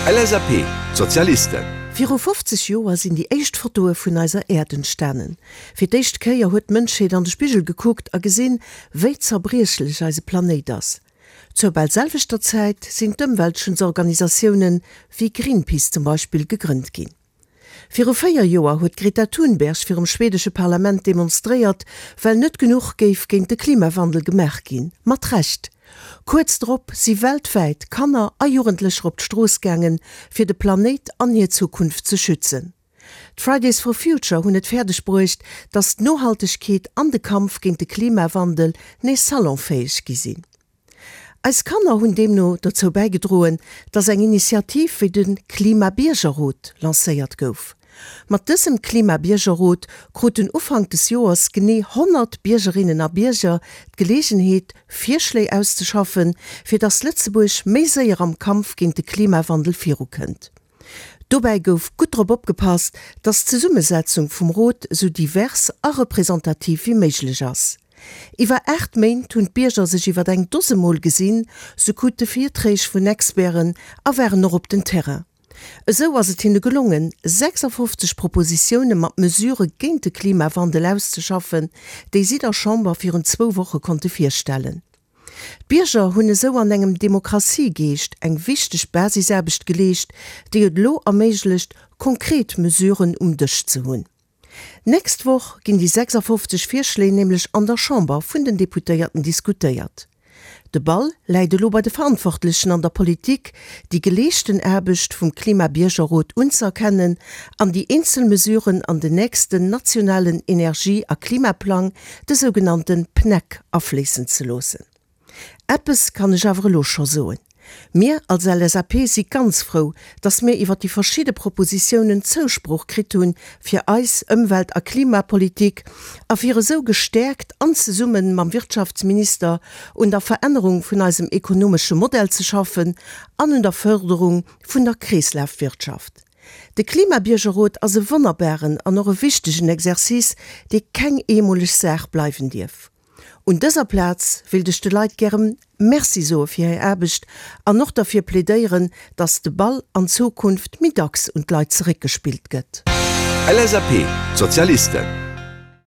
LSAP, D'Sozialisten. Viru 50 Joer sinn déi éischt Fotoe vun eiser Äerd entstanen. Fir d'éischt Kéier huet d'Mënschheet an de Spigel gekuckt a gesinn, wéi zerbriechlech eise Planéit ass. Zur bal selwechter Zäit sinn d'Ëmweltschutzorganisatiounen, wéi Greenpeace zum Beispill, gegrënnt ginn. Viru 4 Joer huet d'Greta Thunberg virum schwedesche Parlament demonstréiert, well net genuch géif géint de Klimawandel gemaach ginn. Mat Recht! Kuerz drop si weltwäit Kanner a Jugendlecher op d'Strooss gaangen, fir de Planéit an hir Zukunft ze schützen. D'Fridays for Future hunn et fäerdeg bruecht, datt d'Nohaltegkeet an de Kampf géint de Klimawandel nees salonfäeg gi sinn. Eis Kanner hunn deemno dozou bäigedroen, dass eng Initiativ wéi de Klima-Biergerrot lancéiert gouf. Mat dësem Klima-Biergerrot kruten Ufank des Joers genee 100 Biergerinnen a Bierger d'Geleegenheet, Virschléi auszeschaffen, fir dass Lëtzebuerg méi séier am Kampf géint de Klimawandel virukënnt. Dobäi gouf gutt drop opgepasst, dass d'Zesummesetzung vum Rot esou divers a representativ wéi méiglech ass. Iwwer 8 Méint hunn d'Bierger sech iwwer eng Dose Mol gesinn, se krute Virträg vun Experten a waren och op den Terrain. Esou ass et hinne gelongen, 56 Propositioune mat Mesurë géint de Klimawandel auszeschaffen, déi si der Chamber virun zwou Woche konnte virstellen. D'Bierger hunn esou an engem Demokratiegeescht eng wichteg Basisaarbecht geleescht, déi et elo erméiglecht, konkret Mesuren um Dësch ze hunn. D'nächst Woch ginn déi 56 Virschléi nämlech an der Chamber vun den Deputéierten diskutéiert. De Ball läit elo bei de Verantwortlechen an der Politik, déi geleeschten Aarbecht vum Klima-Biergerrot unzëerkennen an déi eenzel Mesuren an den nächsten nationalen Energie a Klimaplang, de sougenannte PNEC, afléissen ze loossen. Eppes kann ech awer elo scho soen, Mir als LSAP si ganz frou, dass mir iwwer déi verschidde Propositiounen Zousproch kritt hu fir eis Ëmwelt a Klimapolitik a fir esou gestäerkt an zesumme mam Wirtschaftsminister un der Verännerung vun eisem ekonomesche Modell ze schaffen an un der Förderung vun der Kreeslafwirtschaft. De Klimabiergerrot ass e wonnerbaren an och e wichtegen Exercice, dee keng eemoleg Saach bleiwen dierf. Un dëser Plaz wéilt ech de Leit gäre Merci soe fir hir Aarbecht an och derfir plädéieren, dass de Ball an Zukunft méi dacks un d'Leit zeréckgespillt gëtt. LSAP, D'Sozialisten.